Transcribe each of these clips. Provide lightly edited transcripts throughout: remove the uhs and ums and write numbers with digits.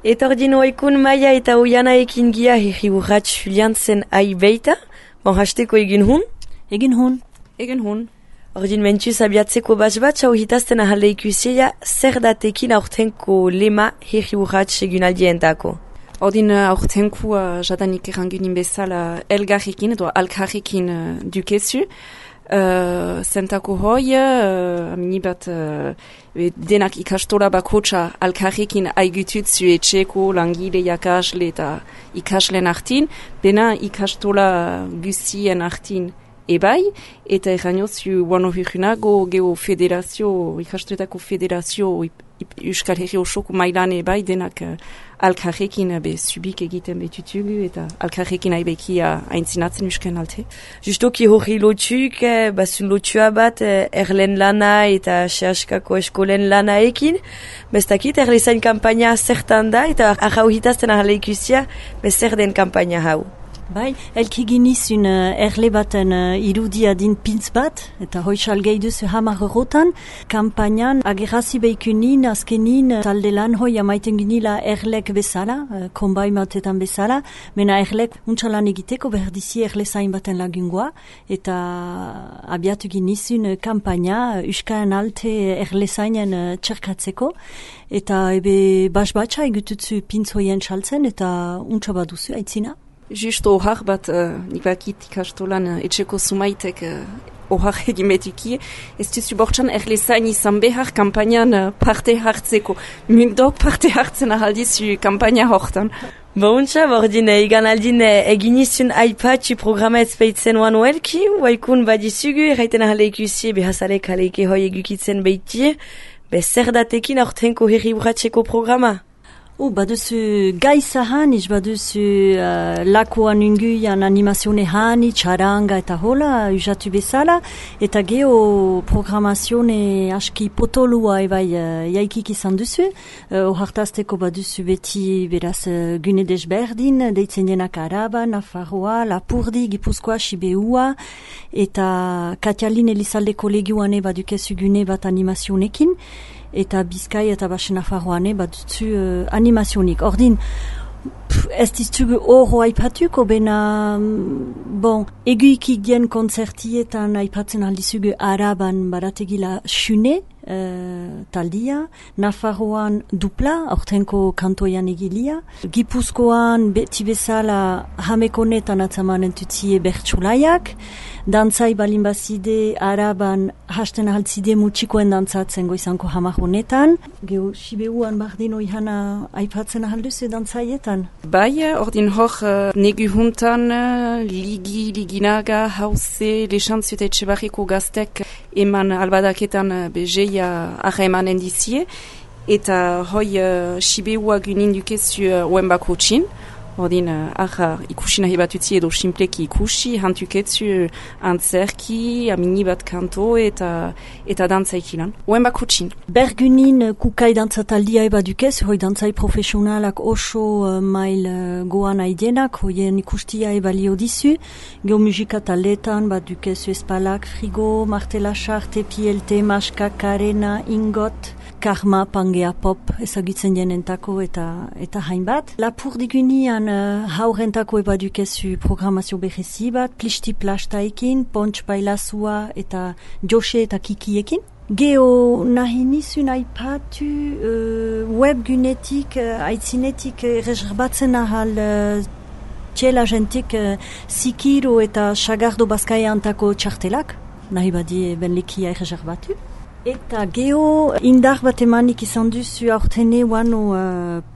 Eta ordin oikun Maia eta Oiana ekin gia herriburrat Juliantzen aibeita. Bon, hasteko egin hun? Egin hun. Ordin mentuz abiatzeko bat, hau hitazten ahalde ikusia, zer datekin aurtenko lema herriburrat egunaldientako? Ordin aurtenko jadanik erangunin bezala elgarrekin edo alkarrekin dukezu. Zentako hoi, amini bat denak ikastola bakotxa alkarrekin aigututzu etxeko langile jakasle eta ikaslen artin, bena ikastola guzien artin ebai, eta errainotzu guano hirrunago geo federazio, ikastoletako federazio Euskal Herri osoko mailan ebai denak alkarrekin subik egiten betutugu eta alkarrekin aibekia aintzinatzen Euskan alte. Justoki hori lotzuk, basun lotzua bat erlen lana eta sehaskako eskolen lana ekin, bestakit erlezain kampaina zertan da eta ahau hitazten ahale ikusia bezer den kampaina hau. Bai, elki ginizun erle baten irudia din pintz bat, eta hoixal gehiduzu hamar eurotan, kampainan agerrazi behikunin, azkenin, talde lan hoi amaiten ginila erlek bezala, konbai matetan bezala, mena erlek untxalan egiteko berdizi erle zain baten lagungoa, eta abiatu ginizun kampaina Euskaren alte erle zainen txerkatzeko, eta ebe basbatxa egututzu pintz hoien txaltzen, eta untxabaduzu aitzina. Justo ohar bat, nik bakit ikastolan etxeko sumaitek ohar egimetuki, ez duzu bortxan erlezain izan behar kampainan parte hartzeko. Mundok parte hartzen ahaldizu kampaina hortan. Bontxa, bordin egan aldin eginizun aipatxu programa ezpeitzen oan oelki, waikun badizugu, erraiten ahale ikusi behazarek aleike hoi egukitzen behitie, bezer datekin aurtenko herriburratxeko programa. Baduzu gaisa hanitz, baduzu lakoan unguian animazione hanitz, txaranga eta hola, usatu bezala, eta geho programazione aski potolua ebai jaikik izan duzu, ohartazteko baduzu beti beraz gune desberdin, deitzen denak Araba, Nafarroa, Lapurdi, Gipuzkoa, Sibeua, eta Katialin Elizaldeko legioane badukezu gune bat animazionekin, eta Bizkai eta Basen Nafarroane badutzu animazionik. Ordin, ez diztugu horro aipatuko, bena, eguikik dien konzertietan aipatzen aldizugu Araban barategila xune, taldia, Nafarroan dupla, aurtenko kantoian egilia, Gipuzkoan beti bezala hamekonetan atzamanen tutzie bertsulaiak, dantzai balin bazide Araban hasten ahaltzide mutxikoen dantzatzen goizanko hamar honetan. Geo Sibeuan bardin oihana aipatzen ahalduzu dantzaietan? Bai, ordin hor negu juntan liginaga hauze lexantzu eta etxebarriko gaztek eman albadaketan bezeia arra emanen dizie, eta hoi Sibeua gunin dukezu oenbako txin. Ordin, ikusi nahi batutzi edo simpleki ikusi, hantuketzu antzerki, amini bat kanto eta dantzaikilan. Oen bako txin. Bergunin kukai dantzataldia eba dukez, hoi dantzai profesionalak oso mail goan aidenak, hoien ikustia eba lio dizu. Geo musika taletan, bat dukezu espalak, frigo, martela xarte, pielte, maska, karena, ingot, karma, pangea pop, ezagutzen jenentako eta hainbat. Lapurdigunean haurentako eba dukezu programazio berezi bat, plisti plastaekin, pontx bailazua eta jose eta kikiekin. Geo nahi nizun aipatu webgunetik, aitzinetik reserbatzen ahal txela jentik zikiro eta sagardo bazkaia antako txartelak, nahi badi benlekia reserbatu. Eta geo indar bat emanik izan duzu aurtene wano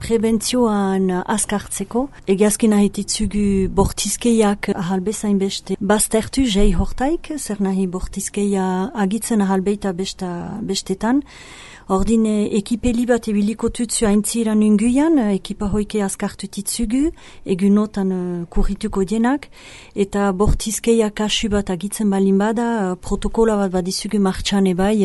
prebentzioan askartzeko. Egiazkin ahititzugu bortizkeiak ahalbezain beste baztertu jai hortaik, zer nahi bortizkeia agitzen ahalbeita bestetan. Ordin ekipeli bat ebiliko tutzu aintziran unguian, ekipa hoike askartu titzugu, egunotan kurrituko dienak, eta bortizkeia kasu bat agitzen balin bada, protokola bat badizugu martxan ebai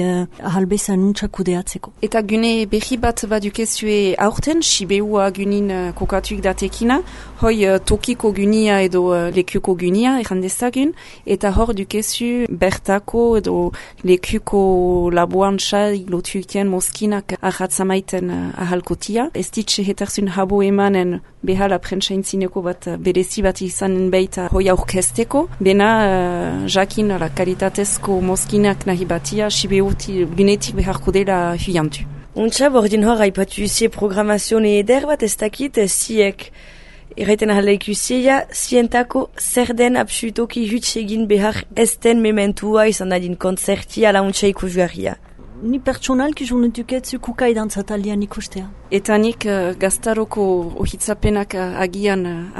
ahalbezan untxakudeatzeko. Eta gune berri bat badukezue aurten, Sibeua gunin kokatuik datekina, hoi tokiko gunia edo lekuko gunia errandezagun, eta hor dukezu bertako edo lekuko laboantza lotuikien mozkinak ahatzamaiten ahalkotia. Ez ditxe hetarzun habo emanen behala prentsaintzineko bat berezi bat izanen beita hoi aurkezteko. Bena jakin kalitatezko mozkinak nahi batia sibeuti gunetik beharko dela huiantu. Untxa, bordin hor haipatu usie programazione eder bat ez dakit ziek erraiten ahala ikusia, zientako zer den absolutoki huts egin behar ez den mementua izan dadin konzertia ala untxa ikusgarria. Ni pertsonalki jonutuketzu kukai dantzatalian ikustea. Eta nik gaztaroko ohitzapenak agian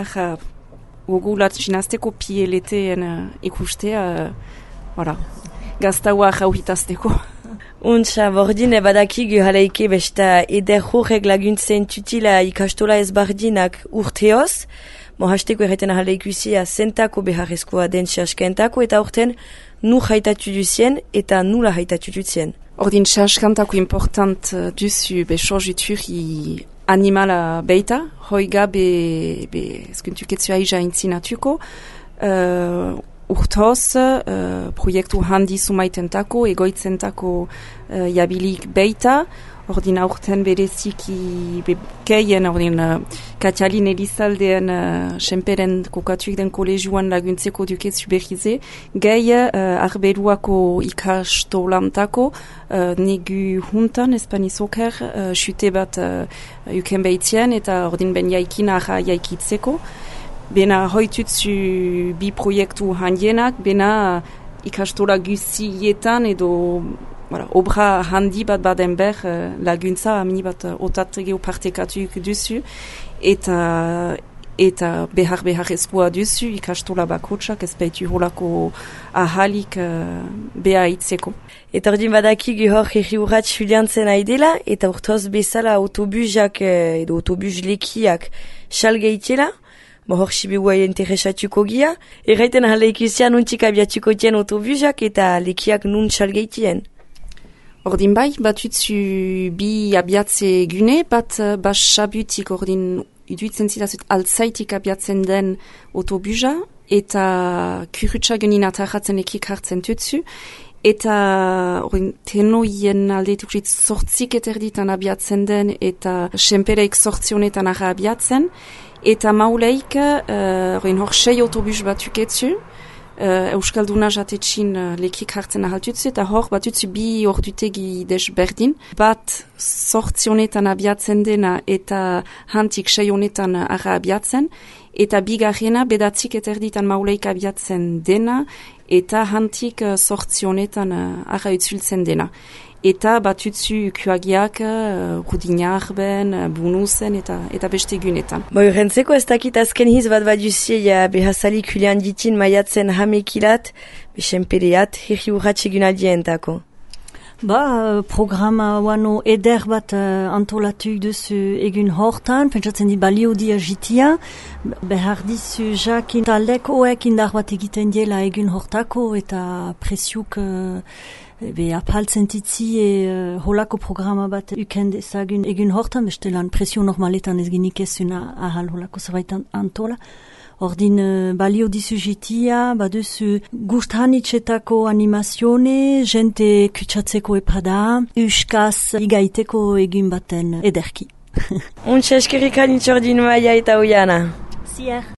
gogulat ginazteko pieleteen ikustea, gaztaua ohitazteko. Untxa, bordin badakigu halaike besta eder horrek laguntzen tutila ikastola ezbardinak urteoz, hasteko erraiten halaikusia zentako beharrezkoa den txaskentako eta orten nu haitatu duzien eta nula haitatu duzien. Ordin txaskentako important duzu sorjuturi animala beita, hoiga eskuntuketzu aiza intzinatuko, urtoz, proiektu handi sumaitentako, egoitzentako jabilik beita, ordin aurten bereziki keien, ordin Katialin Elizaldean senperen kokatuik den kolegioan laguntzeko duketzu behize, gehi arberuako ikastolantako, negu juntan, espanizoker, xute bat uken behitzien, eta ordin ben jaikin jaikitzeko. Bena hoitutzu bi proiektu handienak, bena ikastola guzietan edo obra handi bat baden ber laguntza amini bat otatregeo partekatuik duzu eta behar ezkoa duzu ikastola bakotsak ez baitu holako ahalik beha itzeko. Eta ordin badakigu hor herri urratz juliantzen aidela eta urtoz bezala autobusak edo autobus lekiak salgeitela. Hor sibigua interesatuko gia, erraiten ahala ikusian nuntik abiatuko tien autobusak eta lekiak nun salgeitien. Ordin bai, batutzu bi abiatze gune, bat sabutik ordin iduitzen zidazut altzaitik abiatzen den autobusa, eta kurutsa genin atarratzen lekik hartzen tutzu, eta tenoien aldeetuk sortzik eterditan abiatzen den, eta senpereik sortzionetan arra abiatzen, eta mauleik, hor 6 autobus batuketzu, Euskalduna jatetxin lekik hartzen ahaltutzu, eta hor batutzu bi ordutegi desberdin. Bat sortzionetan abiatzen dena eta hantik 6 honetan arra abiatzen, eta bigarrena bedatzik eterditan mauleik abiatzen dena, eta hantik sortzionetan arra utzultzen dena. Eta batutzu kuagiak, rudinarben, bunuzen eta beste gunetan. Rentzeko ez dakit azken hiz bat baduzie behazalik hulian ditin maiatzen hamekilat, besenpereat, herri urratxe gunaldientako. Programa wano eder bat antolatuk duzu egun hortan, pentsatzen di balio dia jitia, behar dizu jakin taldek oek indar bat egiten diela egun hortako eta presiuk apaltzen titzi holako programa bat uken dezagun egun hortan, bestelan presio normaletan ez ginik ezuna ahal holako zerbait antola. Ordin balio dizu jitia, baduzu gust hanitxetako animazione, jente kutsatzeko epada, uskaz igaiteko egun baten ederki. Untsa eskerrik hanitxordin maia eta oiana. Zier.